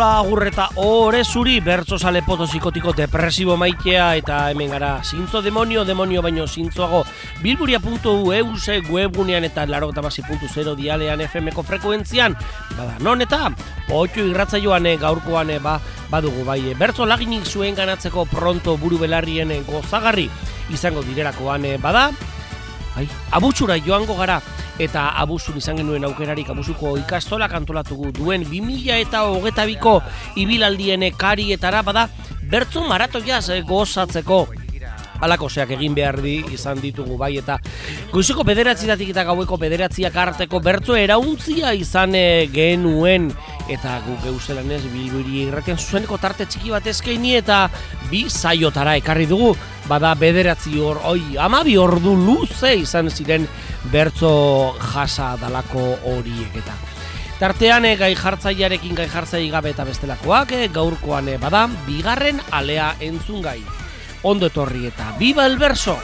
hola agurreta ore zuri bertsozale potosiko depresibo maitea eta hemen gara zintzo demonio baino zintzoago bilburia.eus webgunean eta 88.0 dialean FM-ko frekuentzian bada non eta Otxo irratzaioan gaurkoan badugu bai bertso laginik zuen ganatzeko pronto buru belarrien gozagarri izango direlakoan bada abusura joango gara eta abuzun izan genuen aukerarik abuzuko ikastolak antolatugu duen 2022ko ibilaldiene karietara bada bertso maratoiaz gozatzeko alakoseak egin behar izan ditugu bai eta goizeko 9:00 eta gaueko 9:00 arteko bertso erauntzia izan genuen eta guk geuzelanez Bilburi irratian zuzeneko tarte txiki bat eskaini eta 2 saiotara ekarri dugu bada 12 ordu luze izan ziren bertso jasa dalako horiek eta tartean gai jartzai gabe eta bestelakoak gaurkoan bada bigarren alea entzungai. Ondo etorri eta viva el verso!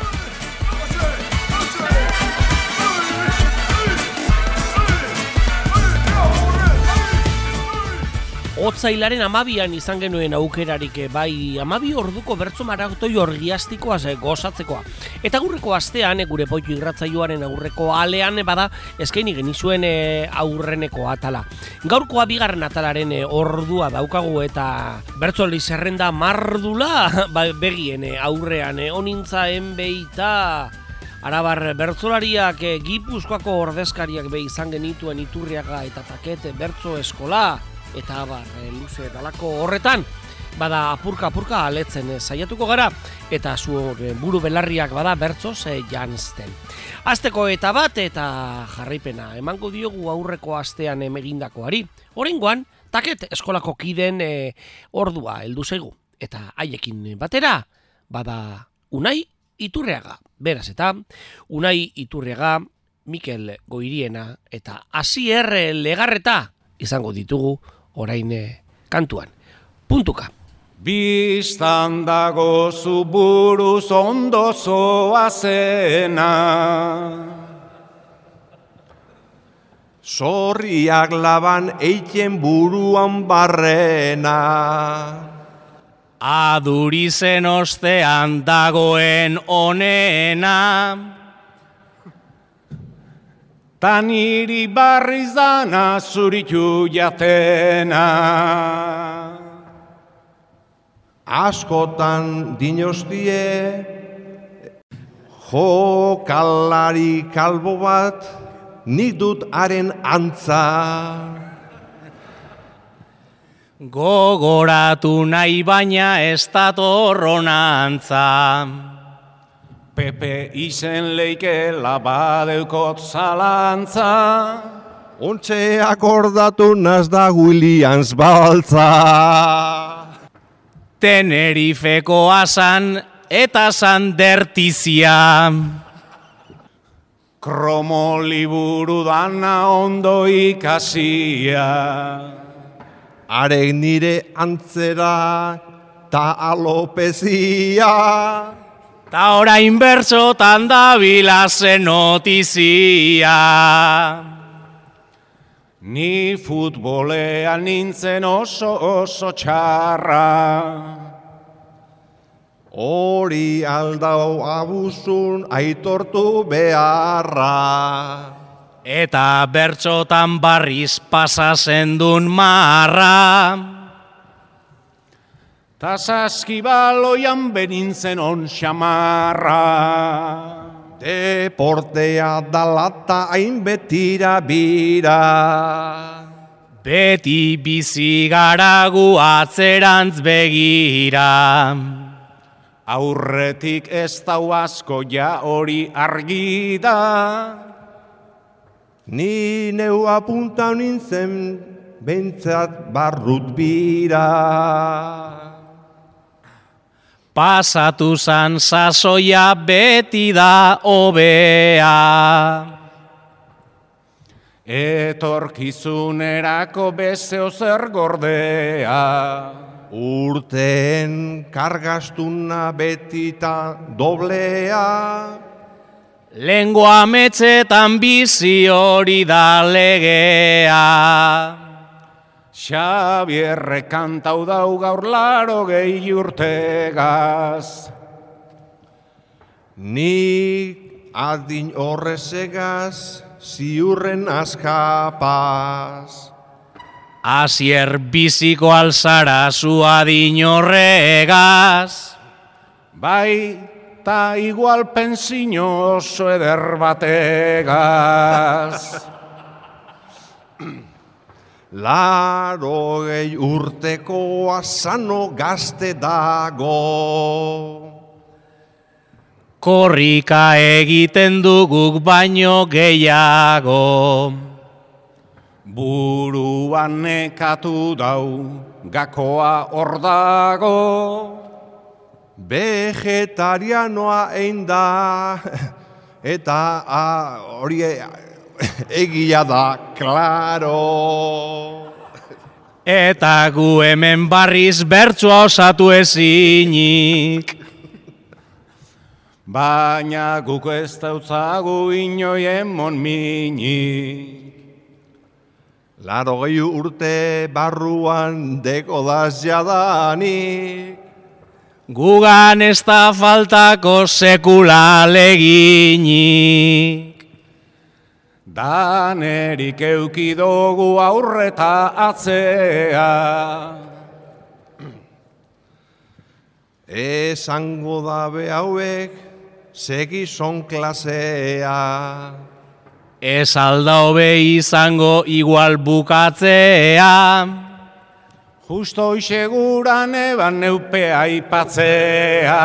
Otsailaren 12an izan genuen aukerarik bai 12 orduko bertso maratoi orgiastikoaz gozatzekoa. Eta aurreko astean gure Poitu irratzaioaren aurreko alean bada eskaini genizuen aurreneko atala. Gaurkoa bigarren atalaren ordua daukagu eta bertsoli zerrenda mardula begien aurrean onintza enbeita Arabar bertsolariak Gipuzkoako ordezkariak be izan genituen Iturriaga eta Takete bertso eskola eta luze dalako horretan bada apurka aletzen saiatuko gara eta zuen buru belarriak bada bertsoz janzten. Asteko eta bat eta jarraipena emango diogu aurreko astean egindakoari. Oraingoan Taket eskolako kiden ordua heldu zaigu eta haiekin batera bada Unai Iturriaga. Beraz eta Unai Iturriaga, Mikel Goiriena eta Asier Legarreta izango ditugu orain kantuan. Puntuka. Bistan dago zu buruz ondo zoazena, sorriak laban eiten buruan barrena, adurizen ostean dagoen onena, ta niri barriz dana zuritu jatena. Askotan dinostie jokalari kalbo bat nik dut haren antza. Gogoratu nahi baina ez dator honantza. Pepe izen leikela badeukot zalantza. Ontxe akordatu naz da Williams baltza. Tenerifeko asan eta sandertizia. Kromo liburu dana ondo ikasia. Arek nire antzera ta alopezia. Ta orain bertsotan dabila zen notizia. Ni futbolean nintzen oso txarra. Hori aldau abuzun aitortu beharra. Eta bertsotan barriz pasa zendun marra. Ta saskibaloian benintzen on xamarra. Deportea dalata hain betira bira. Beti bizi garagu atzerantz begira. Aurretik ez dau asko ja hori argi da. Ni neu apunta nintzen bentzat barrut bira. Pasatu zan sasoia beti da hobea. Etorkizunerako bezeo zer gordea. Urteen kargastuna betita doblea. Lengua ametsetan bizi hori da legea. Xabierre kantau dau gaur 80 urtegaz. Nik adin horrezegaz, ziurren askapaz. Asier biziko alzara zu adin horregaz. Bai, ta igual pentsio oso eder bategaz. 80 urtekoa sano gazte dago. Korrika egiten duguk baino gehiago. Buruan nekatu dau, gakoa hor dago. Vegetarianoa ein da, eta hori egia da, klaro. Eta gu hemen barriz bertsua osatu ezinik. Baina guk ez dautzagu inoien monminik. 80 urte barruan dekodaz jadanik. Gugan ez da faltako sekula leginik. Danerik eukidogu aurreta atzea. Esango dabe hauek, segizon klasea. Ez alda hobe izango igual bukatzea. Justo hoixeguran eban neupe aipatzea.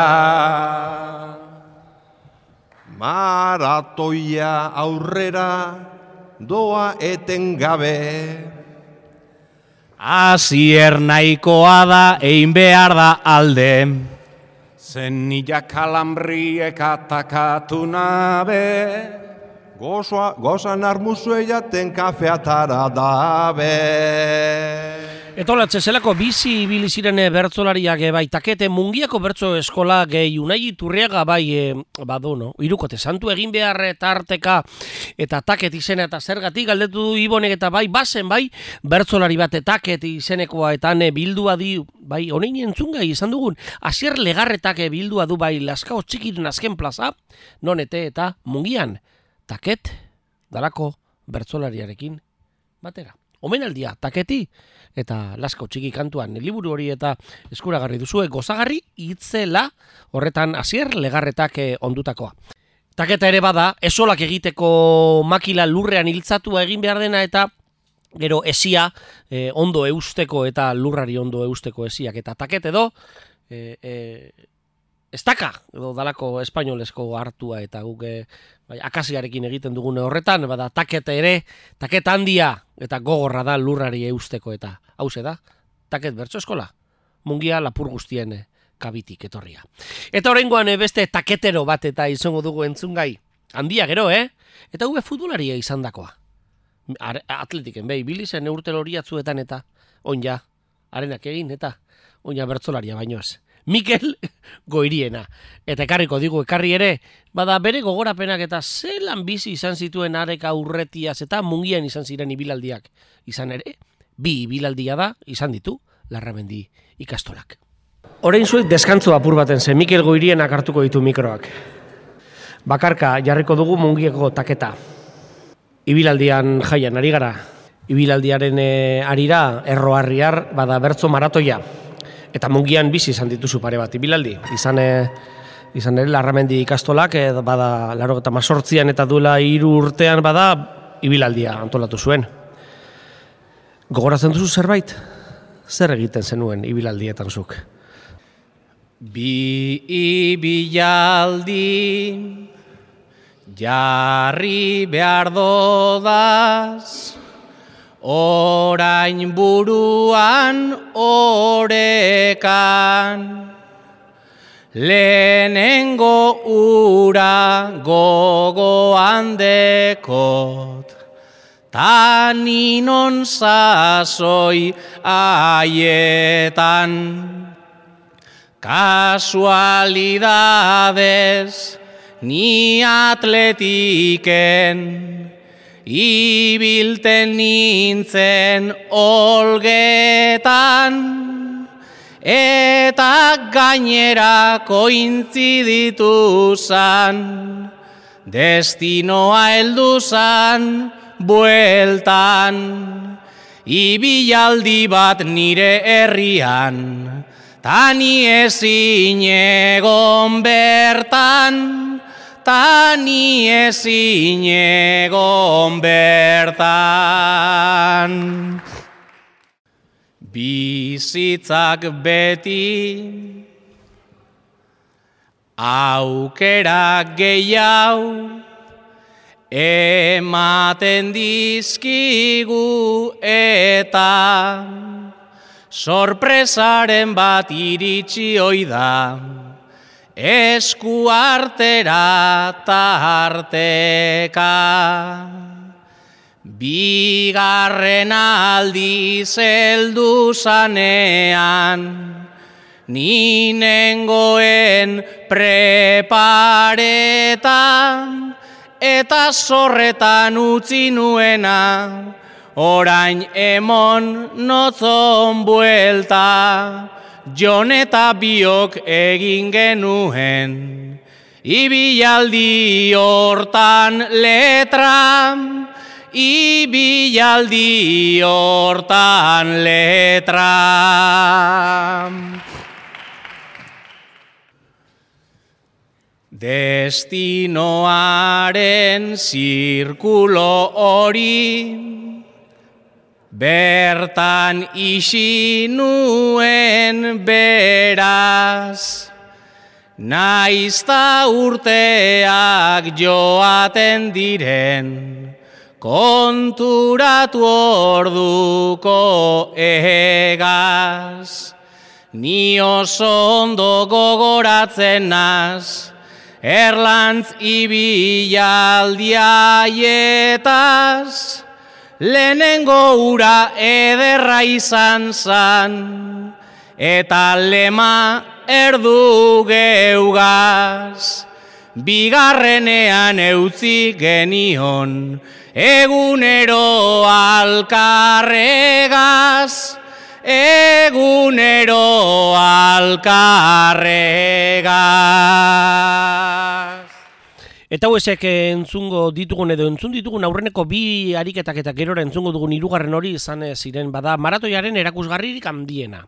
Maratoia aurrera doa etengabe. Asier nahikoa da egin behar da alde. Zenila kalambriek atakatu nabe. Gozan armuzue jaten kafeatara dabe. Eta hola, zelako bizi ibili ziren bertsolariak bai, Takete Mungiako bertso eskola gehi Unai Iturriaga bai, no? Hirukote santu egin behar tarteka eta Taket izena eta zergatik galdetu du Ibonek eta bai, bazen bai, bertsolari bat Taket izenekoa eta bildua di, bai, honein entzungai izan dugun, Asier Legarretak bildua du bai, Laskao Txikiren azken plaza, nonete eta Mungian, Taket dalako bertsolariarekin batera. Omenaldia, Taketi eta Laskao Txiki kantuan liburu hori eta eskuragarri duzue gozagarri itzela horretan Asier Legarretak ondutakoa. Taketa ere bada, esolak egiteko makila lurrean hiltzatua egin behar dena eta gero esia ondo eusteko eta lurrari ondo eusteko esiak. Eta Taket edo estaka edo dalako espainolesko hartua eta guk akasiarekin egiten dugune horretan, bada Taket ere, Taket handia eta gogorra da lurrari eusteko eta hause da, Taket bertso eskola, Mungia lapur guztien kabitik etorria. Eta oraingoan beste taketero bat eta izango dugu entzungai, handia gero, eta hube futbolaria izan dakoa. Atletiken, ibili zen urte loriatzuetan eta onja, arenak egin eta onja bertsolaria baino ez. Mikel Goiriena. Eta ekarriko digu, ekarri ere, bada bere gogorapenak eta zelan bizi izan zituen areka urretiaz eta Mungian izan ziren ibilaldiak. Izan ere, 2 ibilaldia da, izan ditu, Larramendi ikastolak. Orain zuek deskantzu apur baten zen, Mikel Goirienak hartuko ditu mikroak. Bakarka jarriko dugu Mungiako Taketa. Ibilaldian jaian ari gara. Ibilaldiaren arira, erroarriar, bada bertso maratoia. Eta Mungian bizi izan dituzu pare bat ibilaldi. Izan ere Larramendi ikastolak, bada 98an eta duela 3 urtean bada ibilaldia antolatu zuen. Gogoratzen duzu zerbait? Zer egiten zenuen ibilaldietan zuk? 2 ibilaldi jarri behar dodaz, orain buruan orekan, lehenengo ura gogoan dekot, ta ninon sasoi aietan. Kasualidadez ni atletiken ibilten nintzen olgetan, eta gainera kointziditu zan, destinoa heldu zan bueltan, ibilaldi bat nire herrian, tani ezin egon bertan, tani ezin egon bertan. Bizitzak beti aukera gehiago ematen dizkigu eta sorpresaren bat iritsi oida esku artera tarteka. Bigarren aldiz heldu zanean, ni nengoen preparetan, eta zorretan utzi nuena, orain emon notzon buelta, Jon eta biok egin genuen, ibilaldi hortan letra, ibilaldi hortan letra. Destinoaren zirkulo hori bertan isi nuen beraz, naizta urteak joaten diren, konturatu orduko egaz. Ni oso ondo gogoratzen naz, Erlantz ibilaldiaietaz, lehenengo ura ederra izan zan, eta lema erdu geugaz. Bigarrenean eutzi genion, egunero alkarregaz, egunero alkarregaz. Eta hauesek entzungo ditugun edo entzun ditugun aurreneko bi ariketak eta gerora entzungo dugun hirugarren hori izan ziren bada maratoiaren erakusgarririk handiena.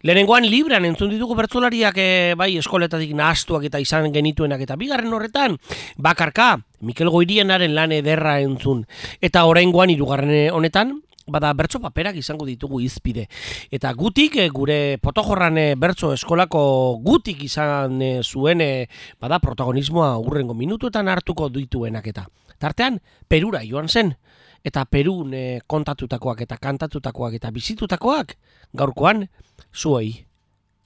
Lehenengoan librean entzun ditugu bertsolariak bai eskoletatik nahastuak eta izan genituenak, eta bigarren horretan bakarka Mikel Goirienaren lan ederra entzun. Eta oraingoan hirugarren honetan bada bertso paperak izango ditugu hizpide. Eta gutik, gure Potojorran bertso eskolako gutik izan zuen bada protagonismoa hurrengo minutuetan hartuko dituenak eta. Tartean, Perura joan zen. Eta Perun kontatutakoak eta kantatutakoak eta bizitutakoak gaurkoan zuei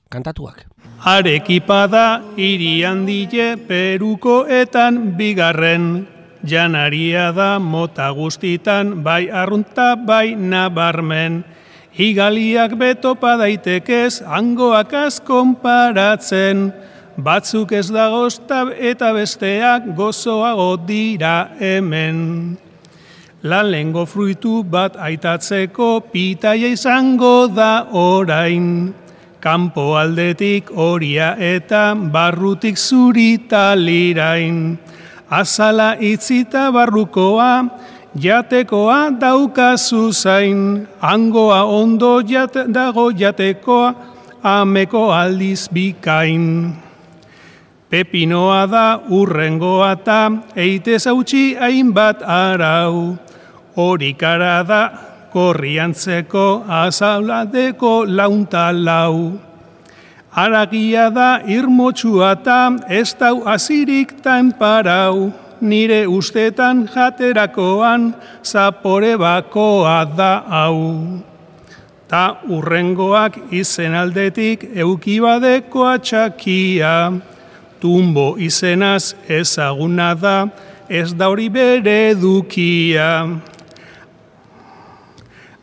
kantatuak. Arekipa da hiri handile Perukoetan bigarren, janaria da mota guztitan, bai arrunta bai nabarmen. Igaliak betopa daitekez, hangoak konparatzen, batzuk ez dagozta eta besteak gozoago dira hemen. Lehengo fruitu bat aitatzeko pitaia izango da orain, kanpo aldetik horia eta barrutik zurita lirain. Azala itzita barrukoa, jatekoa daukazu zain, hangoa ondo dago jatekoa, ameko aldiz bikain. Pepinoa da urrengoa ta, eitez hautsi hainbat arau, horikara da korriantzeko azauladeko launtalau. Aragia da irmotxua ta, ez dau azirik tanparau, nire ustetan jaterakoan zapore bakoa da hau. Ta urrengoak izen aldetik eukibadeko atxakia, tumbo izenaz ezaguna da, ez da hori bere dukia.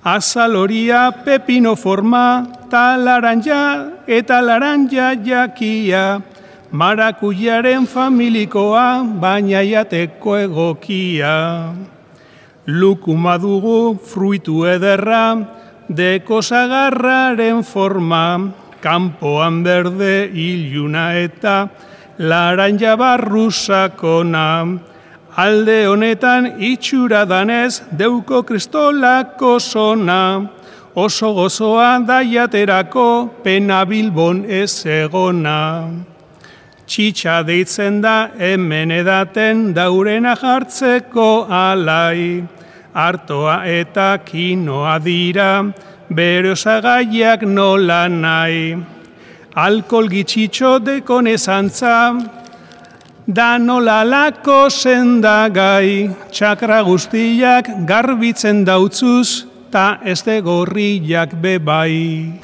Azaloria pepino forma, ta laranja eta laranja jakia, marakuyaren familikoa, baina jateko egokia. lukuma dugu fruitu ederra, deko sagarraren forma, kanpoan berde iluna eta laranja barru sakona. Alde honetan itxura danez deuko kristolako zona, oso gozoa daiaterako pena Bilbon ez egona. Txitsa deitzen da hemen edaten daurena jartzeko alai, artoa eta kinoa dira, bere osagaiak nola nahi. Alkohol gitxitxo dekon ezantza, da nola lako sendagai, txakra guztiak garbitzen dautzuz, ta ez de gorriak bebai.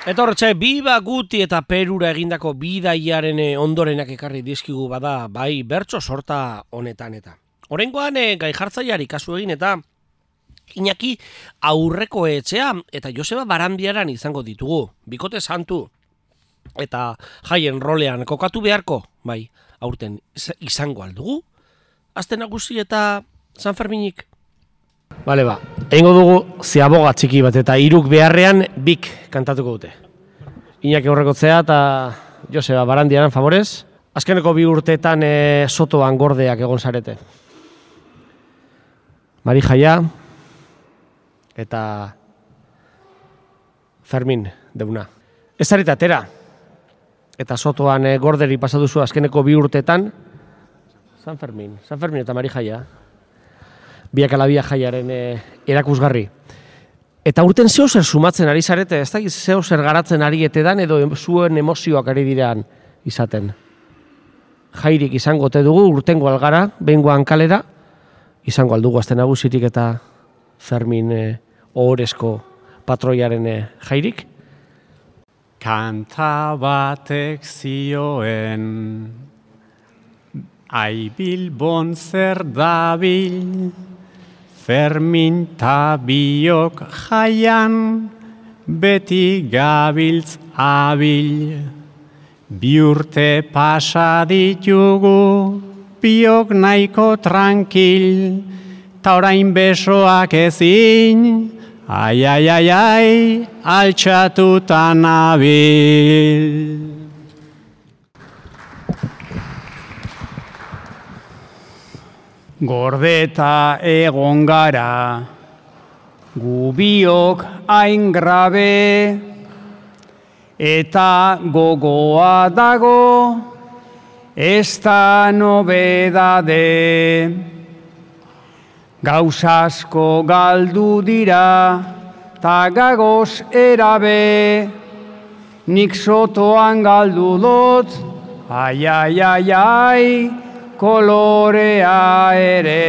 Eta horretxe, Biba Guti eta Perura egindako bidaiaren ondorenak ekarri dizkigu bada, bai bertso sorta honetan eta. Oraingoan gai jartzaileari kasu egin eta Iñaki Aurreko Etxea eta Joseba Barandiaran izango ditugu, bikote santu. Eta jaien rolean kokatu beharko, bai, aurten izango aldugu? Aste Nagusi eta San Ferminik? Bale ba, egingo dugu ziaboga txiki bat eta hiruk beharrean bik kantatuko dute. Iñaki Aurreko Etxea eta Joseba Barandiaran favorez. Azkeneko 2 urteetan sotoan gordeak egon zarete. Mari Jaia eta Fermin Deuna. Ez zarete atera. Eta sotoan gorderi pasaduzu azkeneko 2 urteetan. San Fermin eta Mari Jaia. Biak ala biak jaiaren erakusgarri. Eta urten zeo zer sumatzen ari zarete, ez dakiz zeo zer garatzen ari etedan edo zuen emozioak ari direan izaten. Jairik izango te dugu urtengo algara, behingoan kalera, izango aldugu Aste Nagusirik eta Fermin ohorezko patroiaren jairik. Kanta batek zioen, ai Bilbon zer dabil, Fermin ta biok jaian, beti gabiltz abil. 2 urte pasa ditugu, biok nahiko tranquil, ta orain besoak ezin, ai, ai, ai, ai, altxatuta nabil. Gordeta egon gara, gu biok hain grabe, eta gogoa dago, ez da nobedade. Gauzasko galdu dira, ta gagoz erabe, nik sotoan galdu dut, ai, ai, ai, ai, kolorea ere.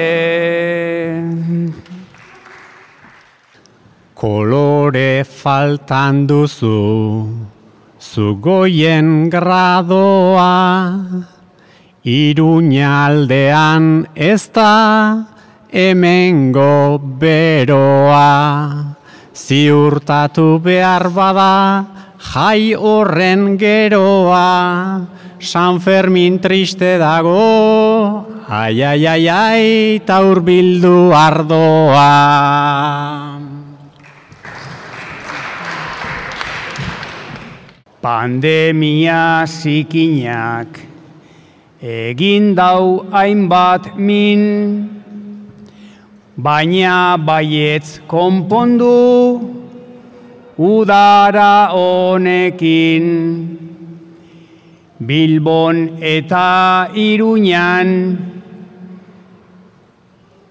Kolore faltan duzu, zu goien gradoa, Iruñaldean ez da hemengo beroa. Ziurtatu behar bada jai horren geroa, San Fermin triste dago, ai, ai, ai, ai, ta hurbildu ardoa. Pandemia zikinak egin dau hainbat min, baina baietz konpondu udara honekin. Bilbon eta Iruñan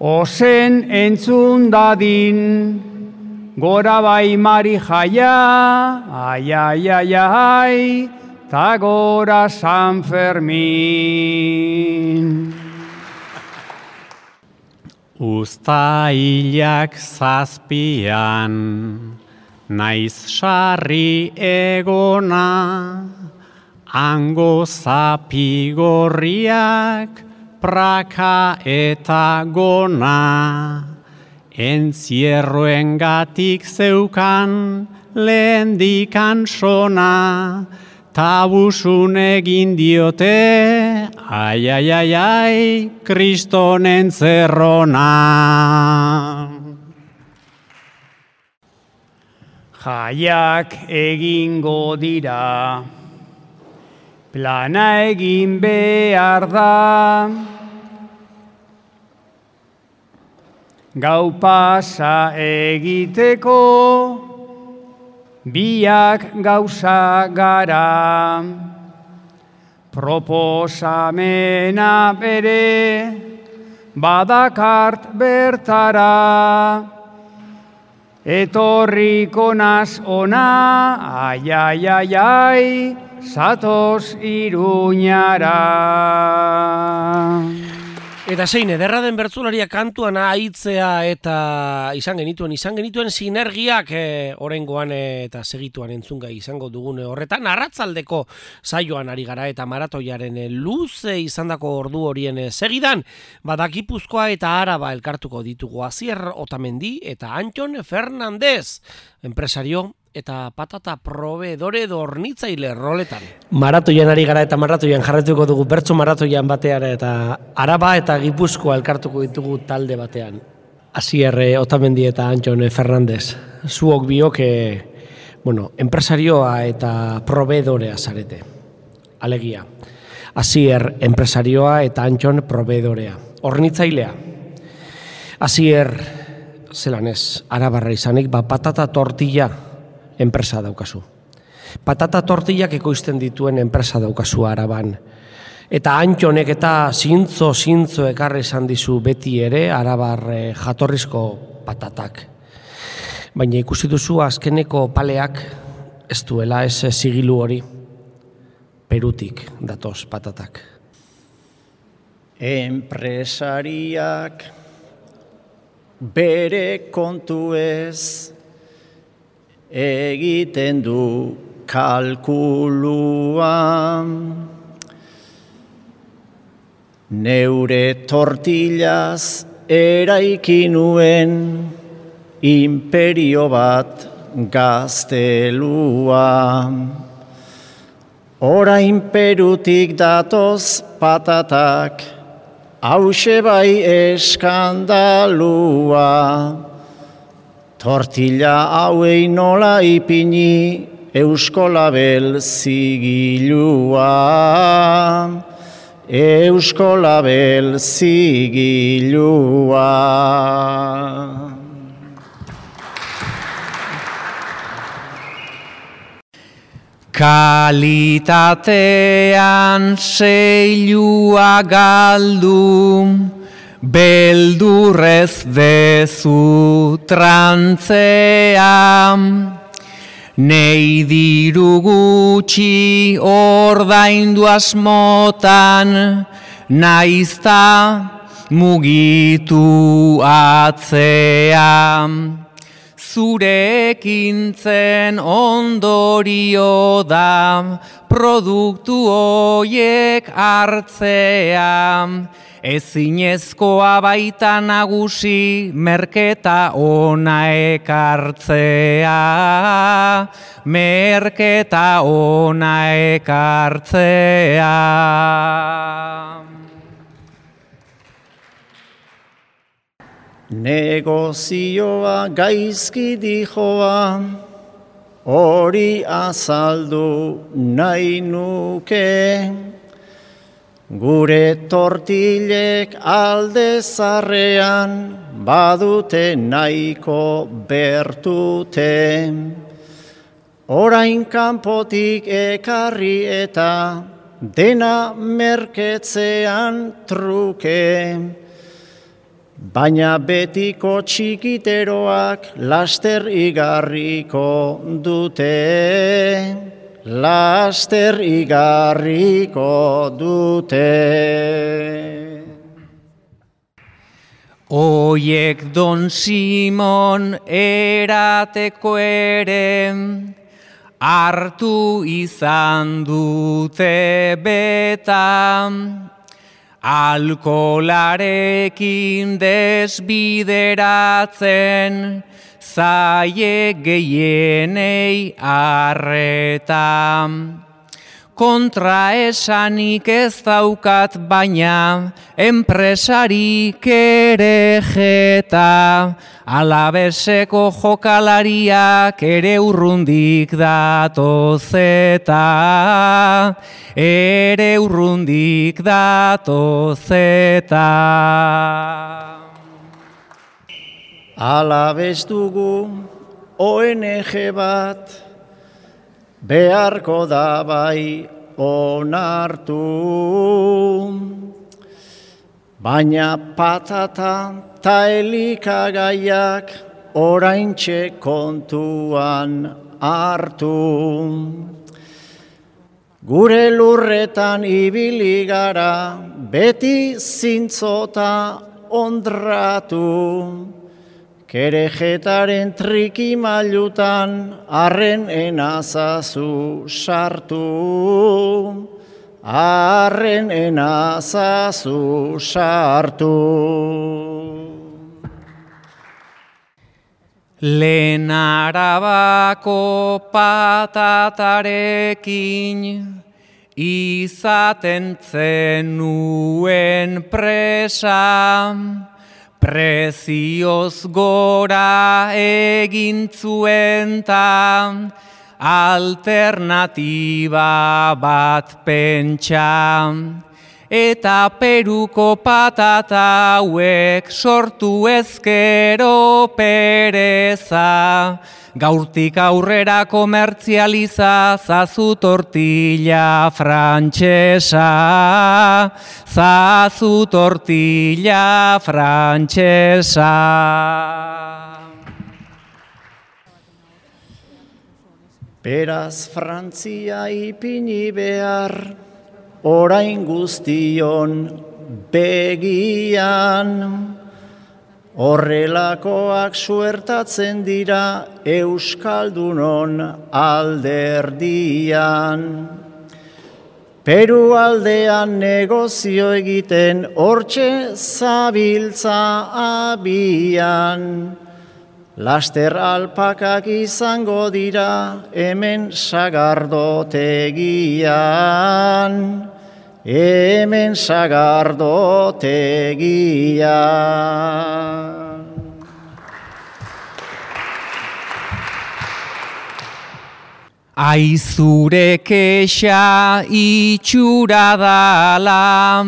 ozen entzun dadin, gora bai Mari Jaia, ai, ai, ai, ai, ta gora San Fermin. Uztailak 7 naiz sarri egona, hango zapigorriak praka eta gona. Entzierroengatik zeukan lehendikan sona, tabusun egin diote, ai, ai, ai, ai, kristonen zerrona. Jaiak egingo dira, plana egin behar da, gau pasa egiteko, biak gauza gara, proposamena bere, badakart bertara, etorriko naz ona, ai, ai, ai, ai, zatoz Iruñara. Eta zein, ederra den bertsolaria kantuan ahitzea eta izan genituen sinergiak oraingoan eta segituan entzungai izango dugune horretan. Arratsaldeko saioan ari gara eta maratoiaren luze izandako ordu horien segidan, Gipuzkoa eta Araba elkartuko ditugu Asier Otamendi eta Antxon Fernandez, enpresario eta patata proveedore hornitzaile roletan. Maratoian ari gara eta maratoian jarretuko dugu bertso maratoian batean eta Araba eta Gipuzkoa elkartuko ditugu talde batean. Asier Otamendi eta Antxon Fernandez. Zuok biok enpresarioa eta proveedorea zarete. Alegia. Asier enpresarioa eta Antxon proveedorea. Hornitzailea. Asier zelanez Arabarra izanik patata tortilla enpresa daukazu. Patata tortillak ekoizten dituen enpresa daukazu Araban. Eta Antxonek eta zintzo ekarri izan dizu beti ere Arabar jatorrizko patatak. Baina ikusi duzu azkeneko paleak ez duela ez zigilu hori. Perutik datoz patatak. Enpresariak bere kontuez egiten du kalkuluan, neure tortillaz eraiki nuen imperio bat gaztelua. Orain Perutik datoz patatak, hause bai eskandalua. Tortilla hauei nola ipini Eusko Label zigilua. Eusko Label zigilua. Kalitatean seilua galdu, beldurrez dezu trantzea, nei diru gutxi ordaindu asmotan, naizta mugitu atzea. Zurekin zen ondorio da, produktu hoiek hartzea, ezinezkoa baita nagusi merketa ona ekartzea, merketa ona ekartzea. Negozioa gaizki dijoa, hori azaldu nahi nuke, gure tortilek alde zarrean badute nahiko bertute. Orain kanpotik ekarri eta dena merketzean truke. Baina betiko txikiteroak laster igarriko dute, laster igarriko dute. Oiek Don Simon erateko ere, hartu izan dute beta, alkolarekin desbideratzen, zaie gehienei arreta. kontra esanik ez daukat baina, enpresarik ere jeta, Alabeseko jokalariak ere urrundik datozeta, ere urrundik datozeta. Alabez dugu ONG bat, beharko da bai onartu, baina patata ta elikagaiak oraintxe kontuan hartu. Gure lurretan ibili gara, beti zintzota ondratu, kerejetaren trikimailutan arren enazazu sartu, arren enazazu sartu. Lehen Arabako patatarekin izaten zenuen presa, prezioz gora egin zuen ta alternatiba bat pentsa. Eta Peruko patata hauek sortu ezkero pereza, gaurtik aurrera komertzializa zazu tortilla frantxesa, zazu tortilla frantxesa. Beraz Frantzia ipini behar, orain guztion begian, horrelakoak suertatzen dira Euskaldunon alderdian. Peru aldean negozio egiten hortxe zabiltza abian, laster alpakak izango dira hemen sagardotegian, hemen sagardotegian. Aizure kexa itxura dala,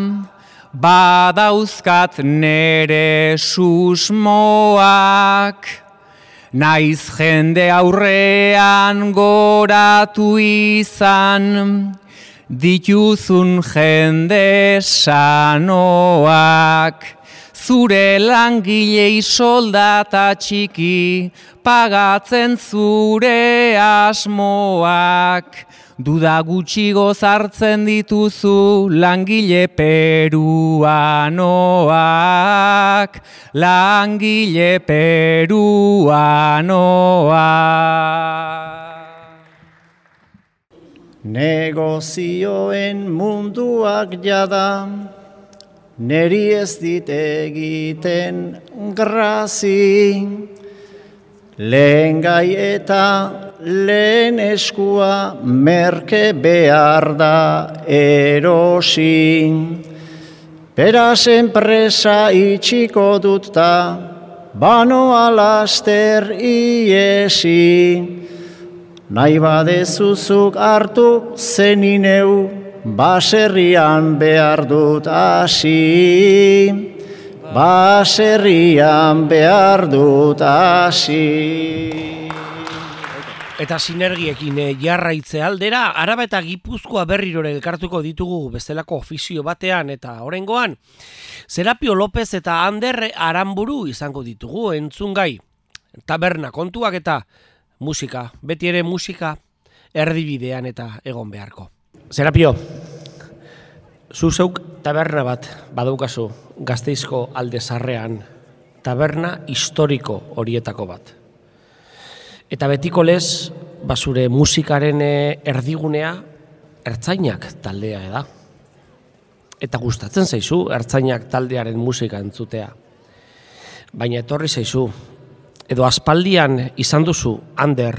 badauzkat nere susmoak, naiz jende aurrean goratu izan, dituzun jende sanoak. Zure langilei soldata txiki, pagatzen zure asmoak. Duda gutxigo zartzen dituzu langile peruanoak, langile peruanoak. Negozioen munduak jada, neri ez dit egiten grazi, lehen gai eta lehen eskua merke behar da erosi. Beraz enpresa itxiko dut ta, banoa laster iesi. Nahi badezuzuk hartu zenineu, baserrian behar dut hasi, baserrian behar dut hasi. Eta sinergiekin jarraitze aldera, Araba eta Gipuzkoa berrirore elkartuko ditugu bestelako ofizio batean, eta oraingoan Serapio López eta Ander Aramburu izango ditugu entzungai. Taberna kontuak eta musika, beti ere musika erdibidean eta egon beharko. Serapio, zu zeuk taberna bat badaukazu Gasteizko alde zarrean, taberna historiko horietako bat. Eta betiko lez, basure musikaren erdigunea Ertzainak taldea da. Eta gustatzen zaizu Ertzainak taldearen musika entzutea. Baina etorri zaizu, edo aspaldian izan duzu Ander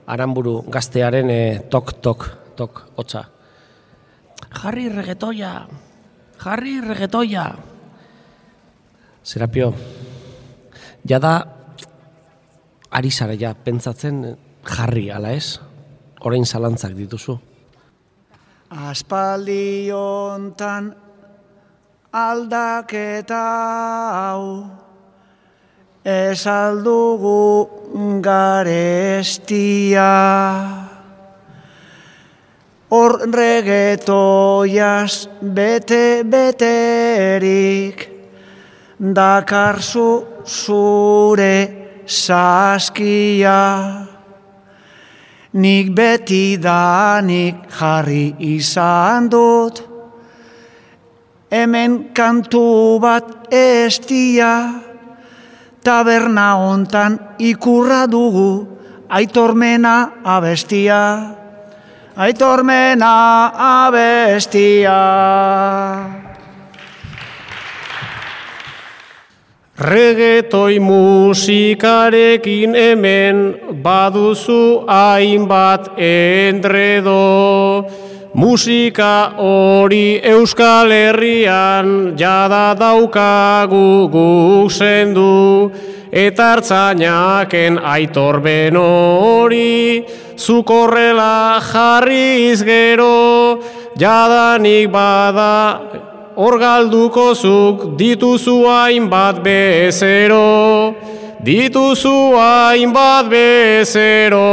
Aramburu gaztearen tok hotza. Jarri regetoia. Serapio, jada ari zara ja pentsatzen jarri, ala ez? Orain zalantzak dituzu. Aspaldi hontan aldaketa hau ez aldugu garestia. Hor regetoiaz bete-beterik dakarzu zure saskia. Nik beti danik jarri izan dut, hemen kantu bat estia, taberna hontan ikurra dugu, aitormena abestia. Aitormena abestia. Regetoi musikarekin hemen baduzu hainbat endredo. Musika hori Euskal Herrian jada daukagu guk sendu. Eta hartzanaken aitorben hori, zuk horrela jarriz gero, jadanik bada hor galduko zuk dituzu hainbat bezero. Dituzu hainbat bezero.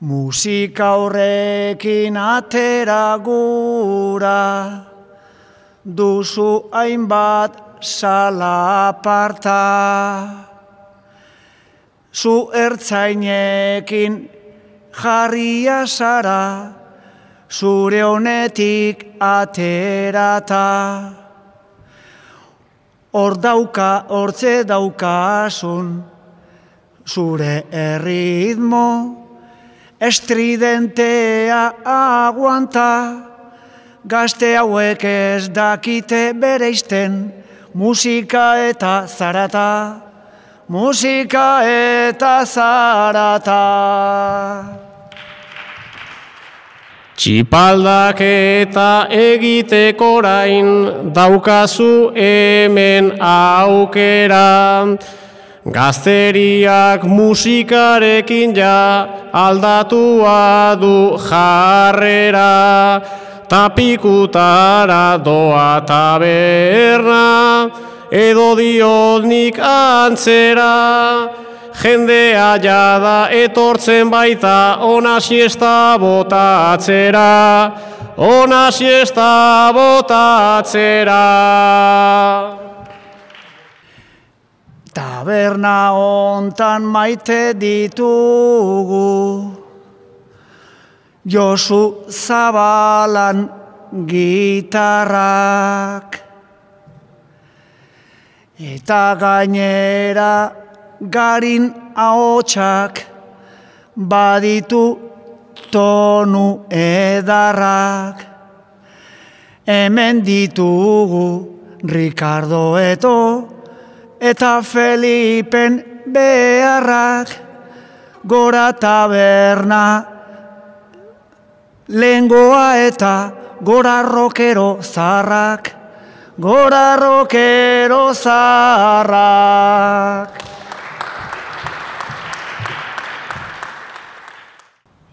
Musika horrekin atera gura, duzu hainbat salaparta. Zu ertzainekin jarria zara, zure honetik aterata. Hortze daukasun, zure erritmo, estridentea aguanta. Gazte hauek ez dakite bereizten, musika eta zarata. Musika eta zarata. Txipaldak eta egiteko orain daukazu hemen aukera. Gazteriak musikarekin ja aldatua du jarrera. Tapikutara doa taberna, edo diot nik antzera. Jendea jada etortzen baita ona siesta botatzera. Ona siesta botatzera. Taberna hontan maite ditugu, Josu Zabalan gitarrak. Eta gainera Garin ahotsak baditu tonu edarrak. Hemen ditugu Ricardo Eto eta Felipen beharrak. Gora taberna lengoa eta gora rokero zarrak. Gora rokero zarrak.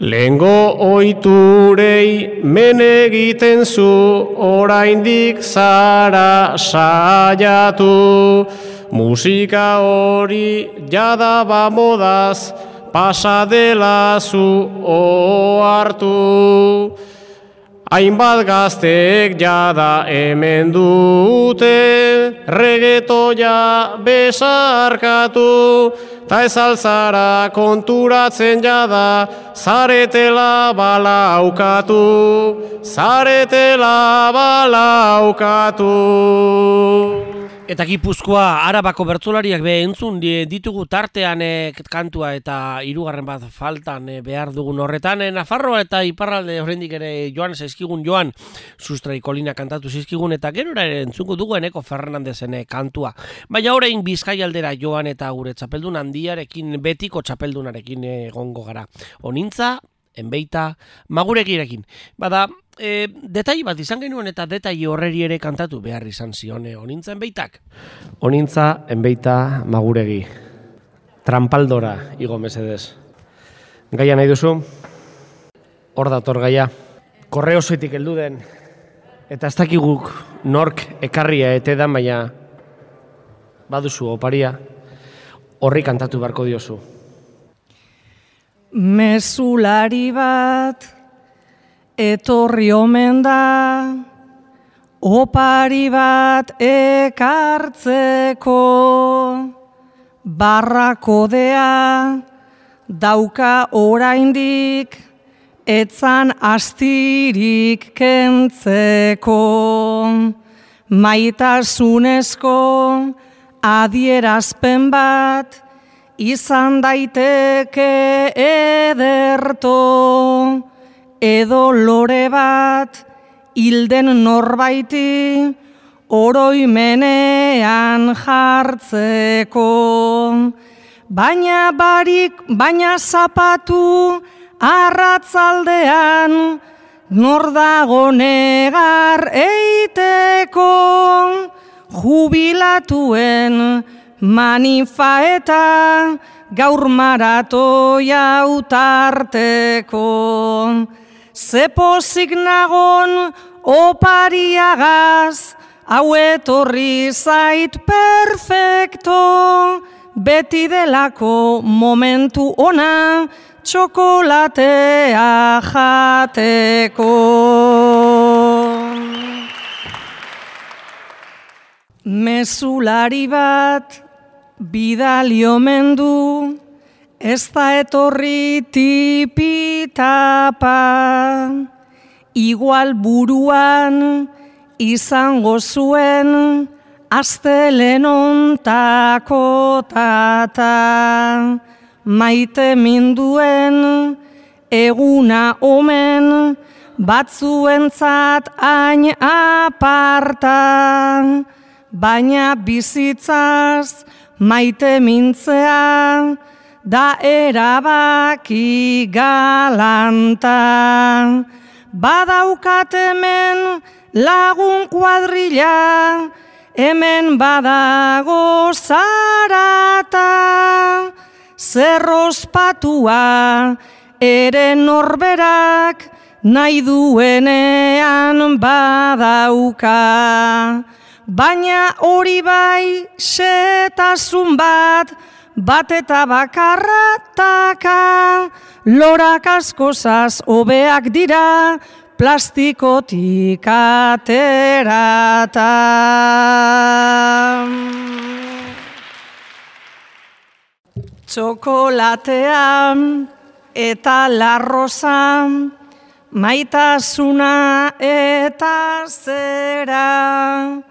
Lehengo oiturei men egiten zu, oraindik zara saiatu. Musika hori jada ba modaz, pasadela zu ohartu. Hainbat gaztek jada hemen dute, regetoia besarkatu. Ta ez alzara konturatzen jada, zaretela balaukatu. Zaretela balaukatu. Eta Gipuzkoa Arabako bertsolariak entzun ditugu tartean kantua eta hirugarren bat faltan behar dugun horretan. Nafarroa eta iparralde oraindik ere joan zaizkigun Sustrai Kolina kantatu zaizkigun eta gerora ere entzungo dugu Eneko Fernandezen kantua. Baina orain Bizkai aldera joan eta gure txapeldun handiarekin, betiko txapeldunarekin egongo gara. Onintza, Enbeita, Maguregirekin. Bada, detai bat izan genuen eta detai horreri ere kantatu behar izan zion Onintza Enbeitak. Onintza, Enbeita, Maguregi. Trampaldora, igo mesedez. Gaia nahi duzu? Hor dator gaia. Korreosoitik heldu den. Eta ez dakiguk nork ekarria etedan, baina baduzu oparia. Horri kantatu beharko diozu. Mezulari bat etorri omen da, opari bat ekartzeko, barrakodea dauka oraindik, etzan astirik kentzeko, maitasunezko adierazpen bat, izan daiteke ederto, edo lore bat hilden norbaiti oroimenean jartzeko. Baina zapatu arratzaldean nor dago negar eiteko, jubilatuen manifa eta gaur maratoia utarteko. Zepozik nagon opariagaz, hau etorri zait perfecto, beti delako momentu ona, txokolatea jateko. Mezulari bat bidali omen du, ez da etorri tipitapa, igual buruan izango zuen astelehontako tata, maite minduen eguna omen batzuentzat hain aparta, baina bizitzaz maite mintzea da erabaki galanta. Badaukat hemen lagun kuadrilla, hemen badago zarata, zer ospatua ere norberak nahi duenean badauka. Baina hori bai xetasun bat eta bakarrataka, lorak askozaz hobeak dira plastikotik aterata. Txokolatea eta larrosa, maitasuna eta zera,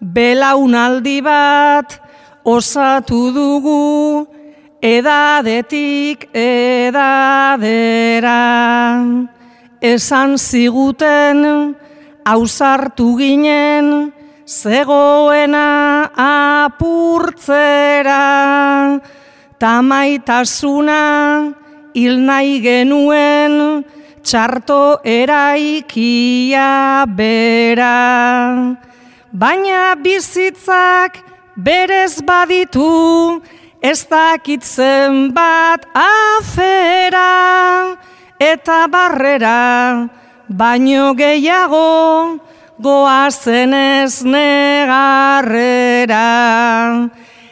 belaunaldi bat osatu dugu edadetik edadera. Esan ziguten ausartu ginen zegoena apurtzera, tamaitasuna hil nahi genuen txarto eraikia bera. Baina bizitzak berez baditu, ez dakitzen bat afera, eta barrera baino gehiago goazen ez negarrera.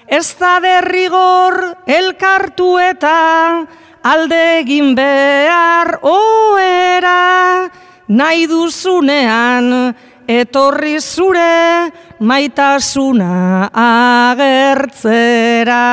Ez da derrigor elkartu eta alde egin behar oera, nahi duzunean etorri zure maitasuna agertzera.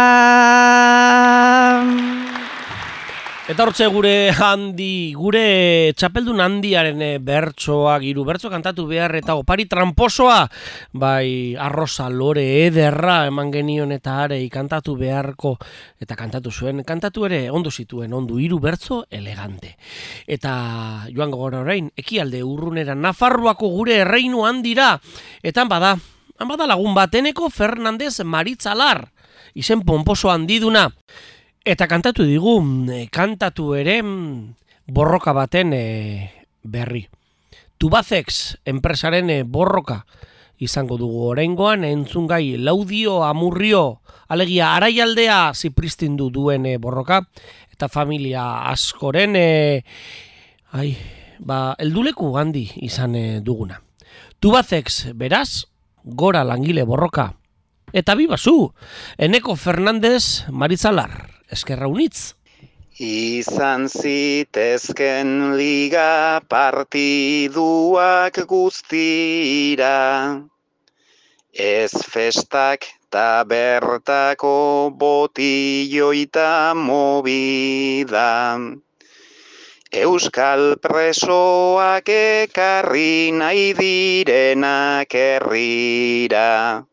Eta hortze gure txapeldun handiaren bertsoak, hiru bertso kantatu behar eta opari tramposoa, bai arroza lore ederra eman genion eta arei kantatu beharko, eta kantatu zuen, kantatu ere ondo zituen, ondo hiru bertso elegante. Eta joango gara orain, ekialde urrunera Nafarroako gure erreinu handira, eta han bada lagun bat, Eneko Fernandez Maritzalar, izen pomposo handiduna. Eta kantatu digu, kantatu ere borroka baten berri. Tubacex enpresaren borroka izango dugu oraingoan, entzungai Laudio Amurrio, alegia Araialdea zipristindu duen borroka, eta familia askoren helduleku handi izan duguna. Tubacex, beraz, gora langile borroka. Eta bibazu, Eneko Fernandez Maritzalar. Eskerra unitz. Izan zitezken liga partiduak guztira, ez festak ta bertako botilloita movida. Euskal presoak ekarri nahi direnak herrira.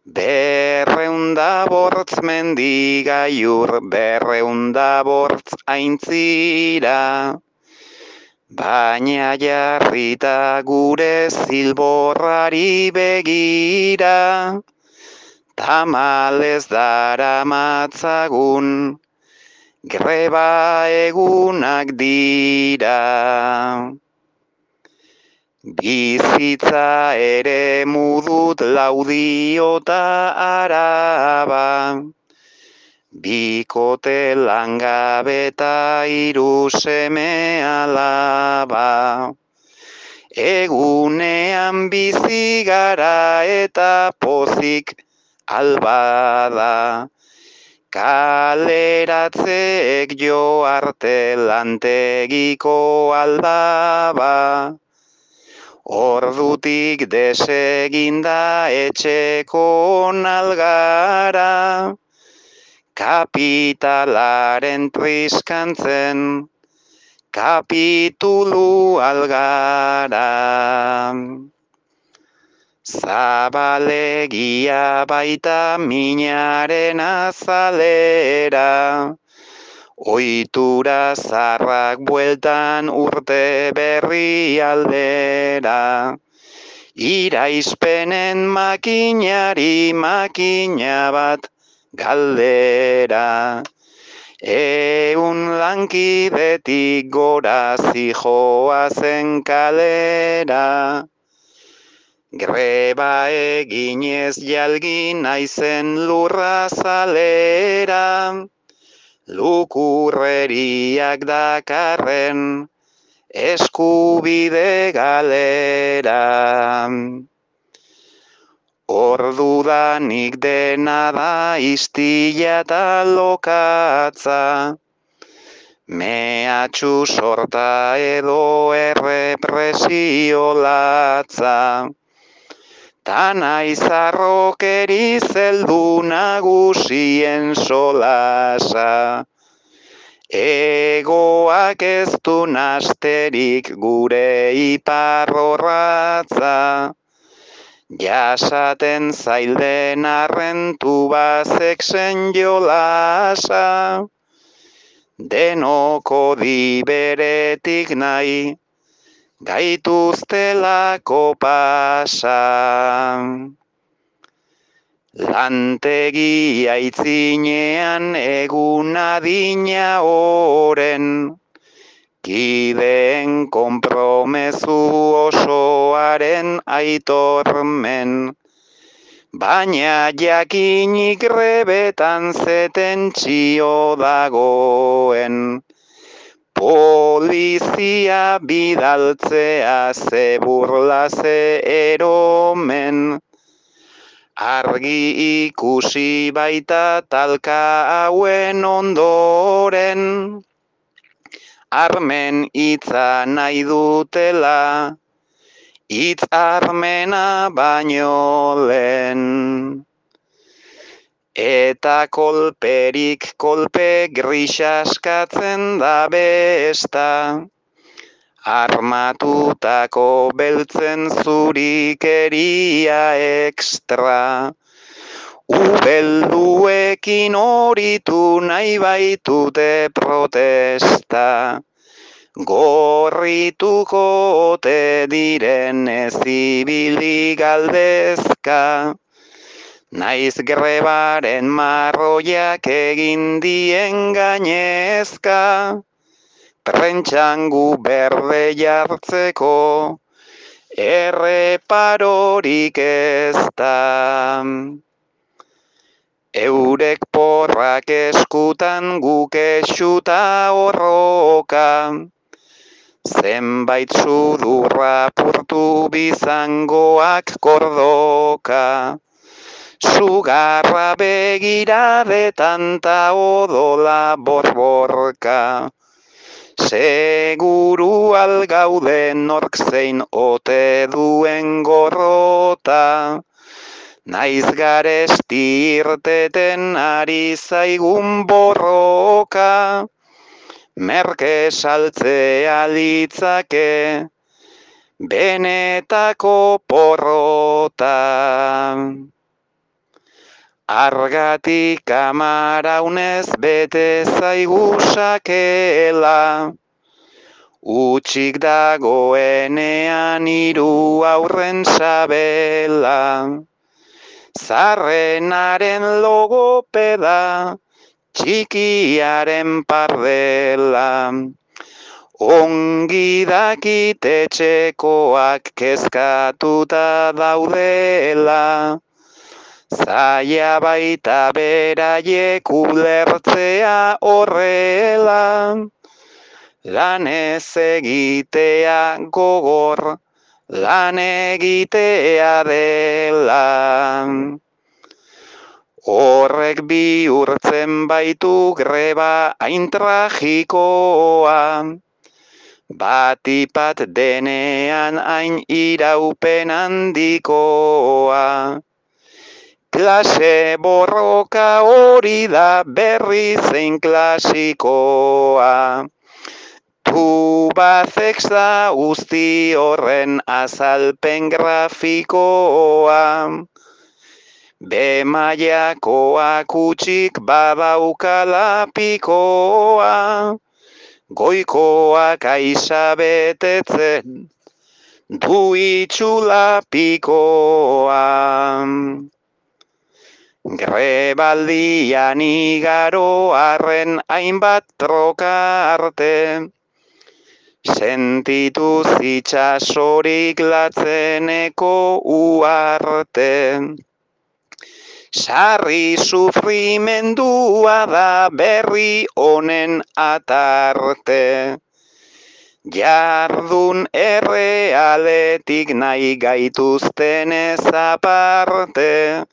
200 mendigaiur, 200 aintzira, baina jarrita gure zilborrari begira, tamalez daramatzagun, greba egunak dira. Bizitza ere mudut Laudio ta Araba, bikote langabe ta 3 seme alaba. Egunean bizi gara eta pozik albada, kaleratzeek jo arte lantegiko aldaba. Ordutik deseginda etxeko nalgara, kapitalaren triskantzen, kapitulu algara. Zabalegia baita minaren azalera, ohitura zarrak bueltan urte berri aldera. Iraizpenen makinari makina bat galdera. 100 lankidetik gora zijoazen kalera. Greba eginez jalgi naizen lurra zalera. Lukurreriak dakarren eskubide galera. Ordudanik dena da istila eta lokatza, mehatxu sorta edo errepresio latza. Ta naiz harrokeri zeldu nagusien solasa. Egoak ez du nasterik gure iparrorratza. Jasaten zailden arren Tubacexen jolasa. Denoko diberetik nahi, gaituztelako pasa. Lantegi aitzinean egun adina oren, kideen konpromezu osoaren aitormen, baina jakinik grebetan zetentzio dagoen. Polizia bidaltzea ze burla ze eromen, argi ikusi baita talka hauen ondoren, armen hitza nahi dutela, hitz armena baino lehen. eta kolperik kolpe grisaskatzen da besta. Armatutako beltzen zurikeria ekstra. Ubelduekin horitu nahi baitute protesta. Gorrituko ote diren ez ibili galdezka. Naiz grebaren marroiak egin dien gainezka. Prentxangu berde jartzeko erreparorik ez da. Eurek porrak eskutan guk esuta horroka. Zenbait sudurra purtu bizangoak kordoka. Sugarra begiradetan ta odola borborka. Seguru algauden nork zein ote duen gorrota. Naiz garesti irteten ari zaigun borroka. Merke saltzea litzake benetako porrota. Argatik amaraunez bete zaigu sakela. Utxik dagoenean hiru aurren sabela. Zarrenaren logopeda, txikiaren pardela. Ongi dakit etxekoak kezkatuta daudela. Zaila baita beraiek ulertzea horrela. Lan ez egitea gogor, lan egitea dela. Horrek bihurtzen baitu greba hain tragikoa. Batipat denean hain iraupen handikoa. Klase borroka hori da berri zein klasikoa. Tubazeks da guzti horren azalpen grafikoa. Be-mailakoak utxik badaukala pikoa. Goikoak aiza betetzen du itxula pikoa. Grebaldian igaro arren hainbat troka arte. Sentituz itxasorik latzeneko uarte. Sarri sufrimendua da berri honen atarte. Jardun errealetik nahi gaituztenez aparte.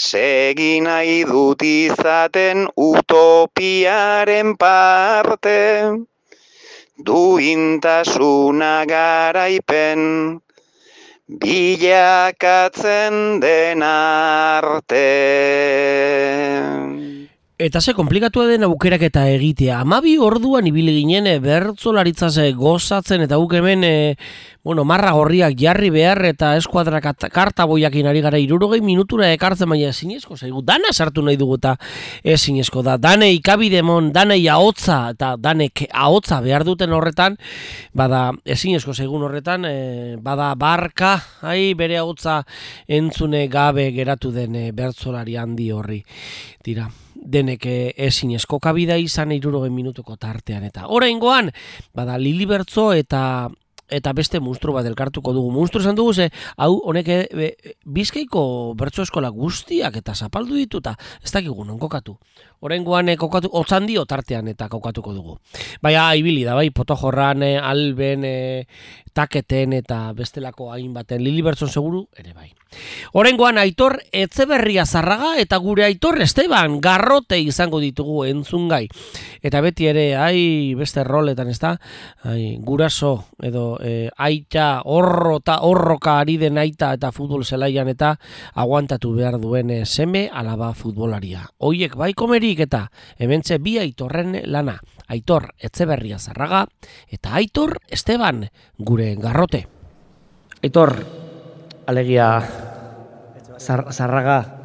Segi nahi dut izaten utopiaren parte. Duintasuna garaipen bilakatzen den arte. Eta ze komplikatua den aukeraketa egitea. 12 orduan ibili ginen bertsolaritzaz gozatzen eta guk hemen marra gorriak jarri behar eta eskuadrak kartaboiakin ari gara 60 minutura ekartzen, baina ezinezko zaigu. Dana sartu nahi dugu eta ezinezko da. Danei ikabidemon, danei ahotza eta danek ahotza behar duten horretan, bada ezinezko zaigun horretan, bada barka, bere ahotza entzune gabe geratu den bertsolari handi horri. Tira. Denek ezinezko kabida izan 60 minutuko tartean eta oraingoan bada Lili Bertso eta beste munstru bat elkartuko dugu. Munstru esan dugu hau honek Bizkaiko bertso eskola guztiak eta zapaldu dituta ez dakigu non kokatu. Oraingoan kokatu Otzandio tartean eta kokatuko dugu. Baina ibili da bai Potojorran, Alben, Taketen eta bestelako hainbaten, Lili Bertson seguru ere bai. Oraingoan Aitor Etxeberria Zarraga eta gure Aitor Esteban Garrote izango ditugu entzungai. Eta beti ere, beste roletan, ezta? Guraso edo aita horroka ari den aita eta futbol zelaian eta aguantatu behar duen seme alaba futbolaria. Hoiek bai komerik eta hementxe bi Aitorren lana. Aitor Etxeberria Zarraga eta Aitor Esteban gure Garrote. Aitor, alegia Zarraga,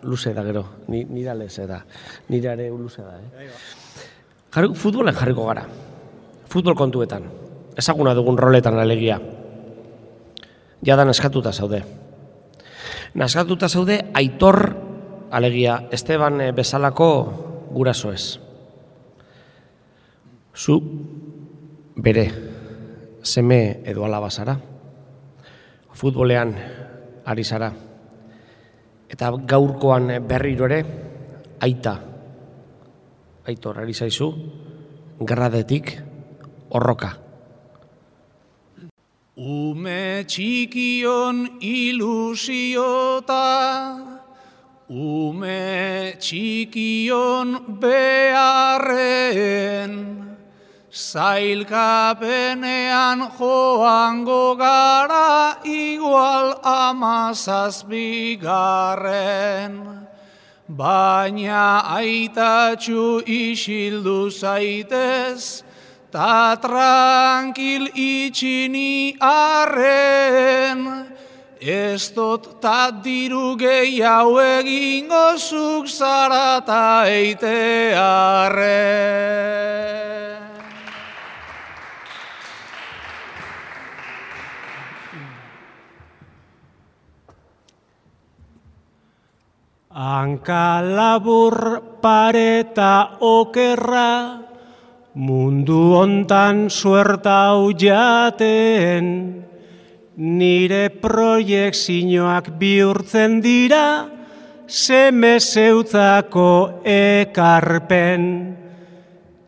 luze da gero, nire leze da, nire ere luze da. Futbolen jarriko gara, futbol kontuetan, ezaguna dugun roletan alegia. Jada naskatuta zaude. Naskatuta zaude Aitor, alegia, Esteban bezalako guraso ez. Zu bere seme edo alaba zara, futbolean ari zara, eta gaurkoan berriro ere Aitor ari zaizu, gradetik horroka. Ume txikion ilusiota, ume txikion beharren, zailkapenean joango gara igual 17. Baina aitatxu isildu zaitez, ta tranquil itxini arren, ez dut ta diru gehiago egingo zuk zara ta eitearren. Hanka labur pareta okerra, mundu hontan suertau jaten, nire proiekzioak bihurtzen dira, seme zeutzako ekarpen.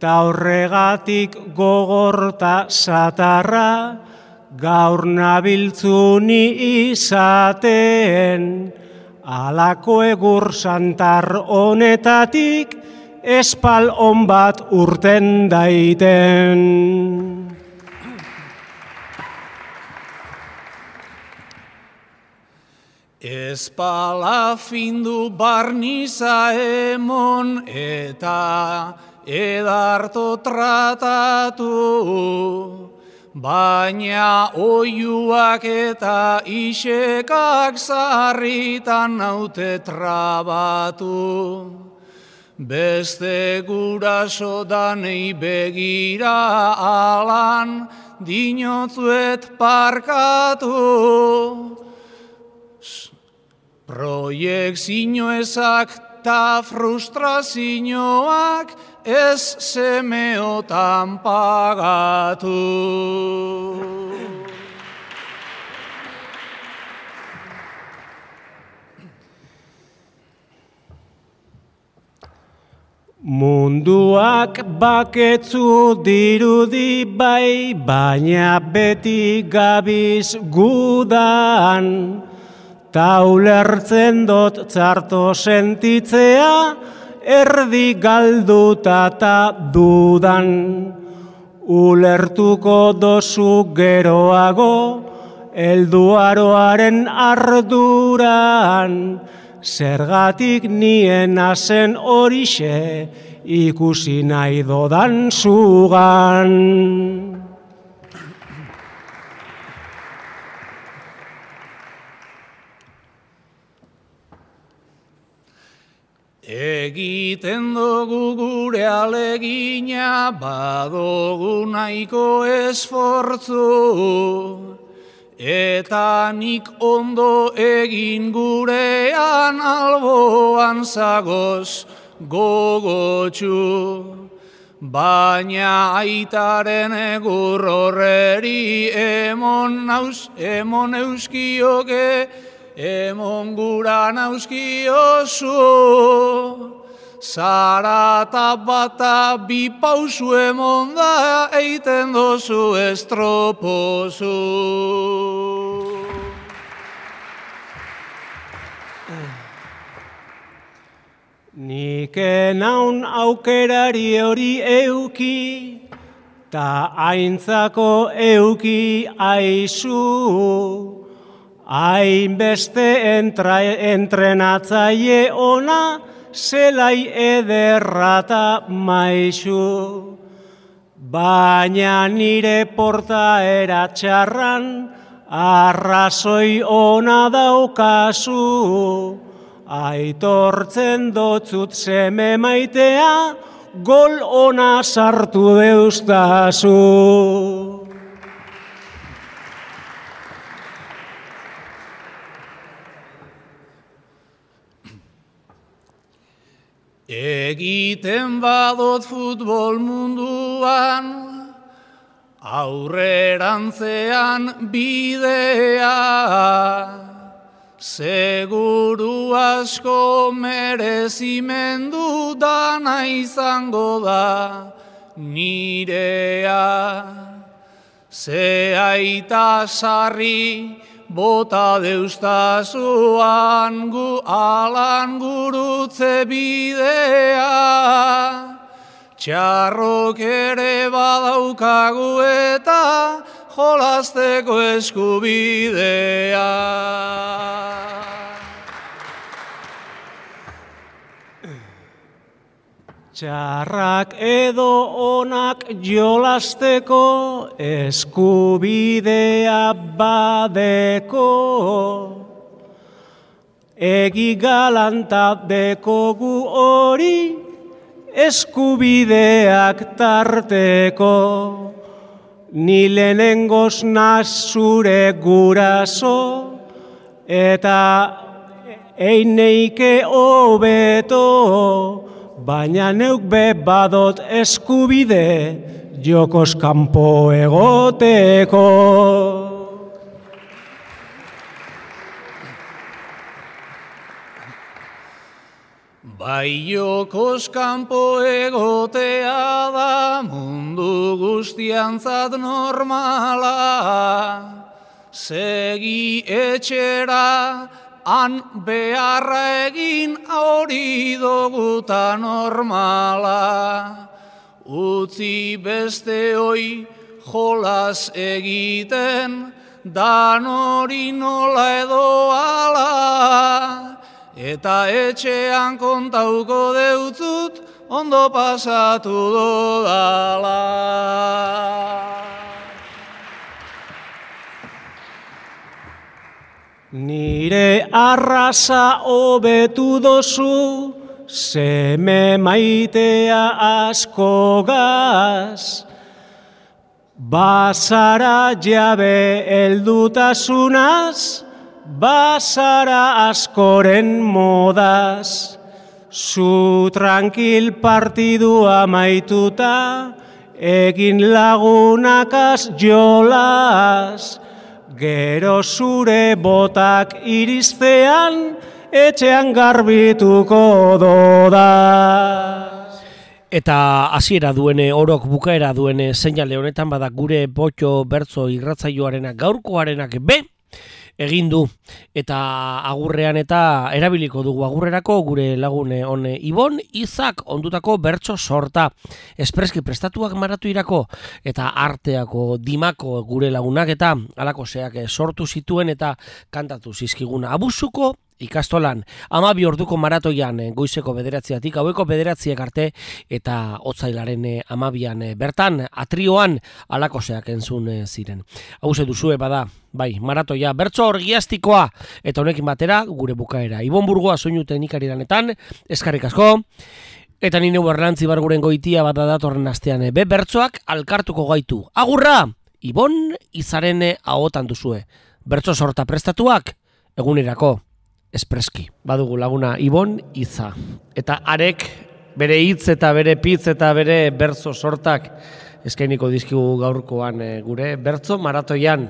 Ta horregatik gogorta satarra, gaur nabiltzuni izaten. Alako egur santar honetatik, espal on bat urten daiten. Espala findu barniza emon eta edarto tratatu, baina oiuak eta isekak zarritan naute trabatu. Beste guraso danei begira alan, dinotzuet parkatu. Proiekzio ezak ta frustrazioak ez semeotan pagatu. Munduak baketzu dirudi bai, baina beti gabiz gudan. Ta ulertzen dut txarto sentitzea, erdi galduta ta dudan. Ulertuko dozu geroago, helduaroaren arduran. Zergatik niena zen horixe, ikusi nahi dodan zugan. Egiten dugu gure alegina, badugu nahiko esfortzu, eta nik ondo egin gurean alboan zagoz gogotxu. Baina aitaren egur horreri emon euskioke, emon gura nauzkiozu, zarata bata bi pausu emon da, eiten dozu estropozu. Nik naun aukerari hori euki, ta aintzako euki aizu. Hainbeste entrenatzaile ona, zelai ederrata maizu. Baina nire portaera txarran, arrazoi ona daukazu. Aitortzen dotzut seme maitea, gol ona sartu deustazu. Egiten badot futbol munduan, aurrerantzean bidea, seguru asko merezimendu dana izango da nirea. Ze aita sarri bota deustazuan alan gurutze bidea, txarrok ere badaukagu eta jolasteko eskubidea. Txarrak edo onak jolasteko eskubidea badeko, egi galanta dekogu hori eskubideak tarteko. Ni lehenengoz naz zure guraso, eta eineike hobeto, baina neuk be badot eskubide jokoz kanpo egoteko. Bai jokoz kanpo egotea da mundu guztiantzat normala, segi etxera han beharra egin hori doguta normala. Utzi beste hoi jolas egiten, dan hori nola edo ala. Eta etxean kontauko deutzut, ondo pasatu dodala. Nire arraza hobetu dozu, seme maitea asko gaz. Bazara jabe heldutasunaz, bazara askoren modaz. Zu tranquil partidua maituta, egin lagunakaz jolas. Gero zure botak iriztean, etxean garbituko dodaz. Eta hasiera duene, orok bukaera duene seinale honetan bada gure Potxo bertso irratsaioarenak gaurkoarenak be egin du. Eta agurrean eta erabiliko dugu agurrerako gure lagune hone Ibon Izak ondutako bertso sorta. Espreski prestatuak maratuirako eta arteako dimako gure lagunak eta alako zeak sortu zituen eta kantatu zizkiguna. Abusuko ikastolan, 12 orduko maratoian goizeko 9:00 gaueko 9:00 arte eta otsailaren 12an bertan atrioan alakoseak entzun ziren. Hau ze duzue bada, bai, maratoia bertso orgiastikoa eta honekin batera gure bukaera. Ibon Burgoa soinu teknikari lanetan, eskerrik asko. Eta ni neu Erlantzi Barguren goitia bada datorren astean be bertsoak alkartuko gaitu. Agurra! Ibon Izaren ahotan duzue. Bertso sorta prestatuak egunerako. Espreski. Badugu laguna Ibon Iza. Eta arek bere hitz eta bere pitz eta bere bertso sortak eskainiko dizkigu gaurkoan gure bertso maratoian.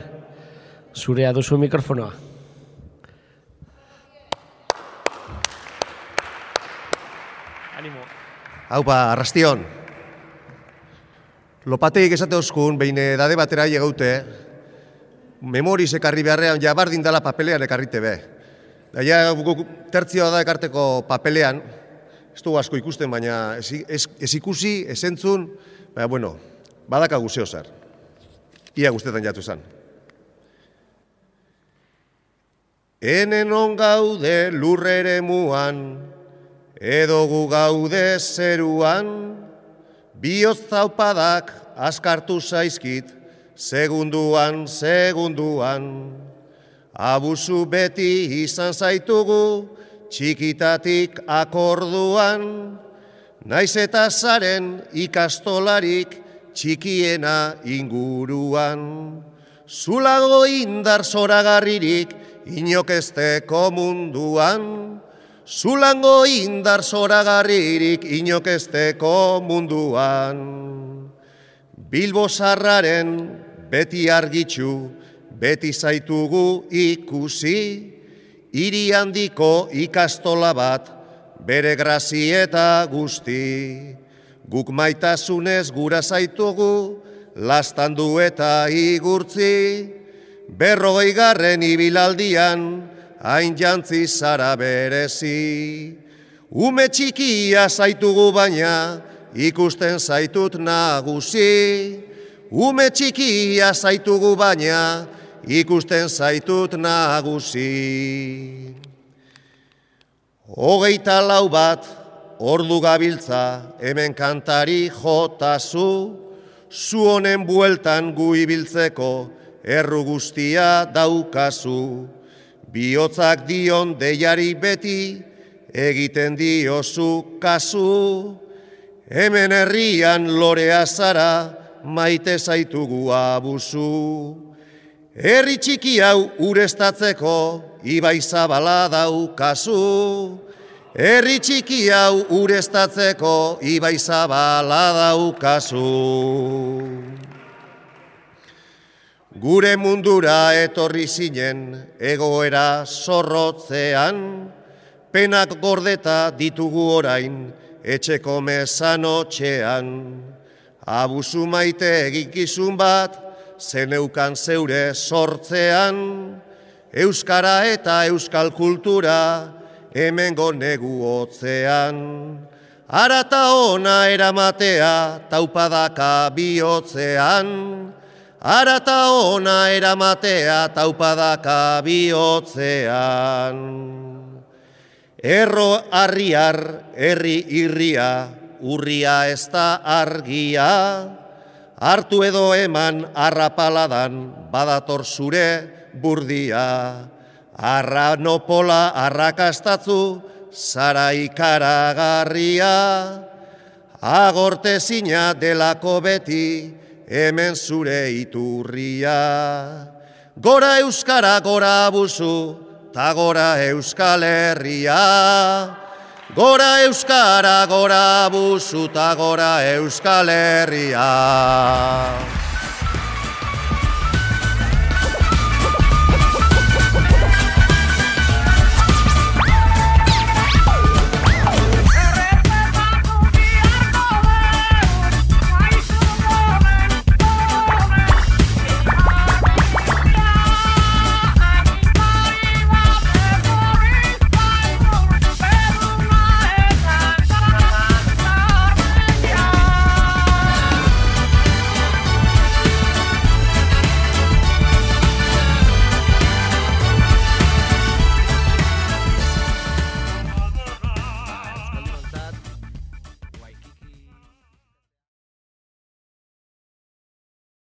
Zurea duzu mikrofonoa. Animo. Haupa, arrastion. Lopateik esate oskun, behin edade batera egaute, memoriz ekarri beharrean, ja bardin dala papelean ekarrite be. Ja, tertzioa da ekarteko papelean, ez dugu asko ikusten, baina ez ikusi, ez entzun, baina, bueno, badakagu zeo zer. Ia guztetan jatu zan. Enen on gaude lurrere muan, edo gu gaude zeruan, bihotz zaupadak askartu zaizkit, segunduan, abusu beti izan zaitugu, txikitatik akorduan, naiz eta zaren ikastolarik txikiena inguruan. Zulago indar zoragarririk inokesteko munduan, zulango indar zoragarririk inokesteko munduan. Bilbo zarraren beti argitxu, beti zaitugu ikusi, hiri handiko ikastola bat, bere grazieta guzti. Guk maitasunez gura zaitugu, lastandu eta igurtzi, 40. ibilaldian, hain jantzi zara berezi. Ume txikia zaitugu baina, ikusten zaitut nagusi. Ume txikia zaitugu baina, ikusten zaitut nagusi. 24 bat, ordu gabiltza, hemen kantari jotazu, zu honen bueltan gu ibiltzeko, erru guztia daukazu. Bihotzak dion deiari beti, egiten diozu kasu. Hemen herrian lorea zara, maite zaitugu abuzu. Herri txiki hau ureztatzeko, ibai zabala daukazu. Herri txiki hau ureztatzeko, ibai zabala daukazu. Gure mundura etorri zinen egoera zorrotzean, penak gordeta ditugu orain etxeko mezanotxean. Abusu maite eginkizun bat, zeneukan zeure sortzean, euskara eta euskal kultura hemengo negu hotzean. Arata ona eramatea taupadaka bihotzean, arata ona eramatea taupadaka bihotzean. Erro arriar, herri irria, urria ez da argia, hartu edo eman arrapaladan badator zure burdia. Arranopola arrakastatzu, zara ikaragarria, agortezina delako beti, hemen zure iturria. Gora euskara, gora abusu, ta gora euskal herria. Gora euskara, gora abusu, ta gora euskal herria.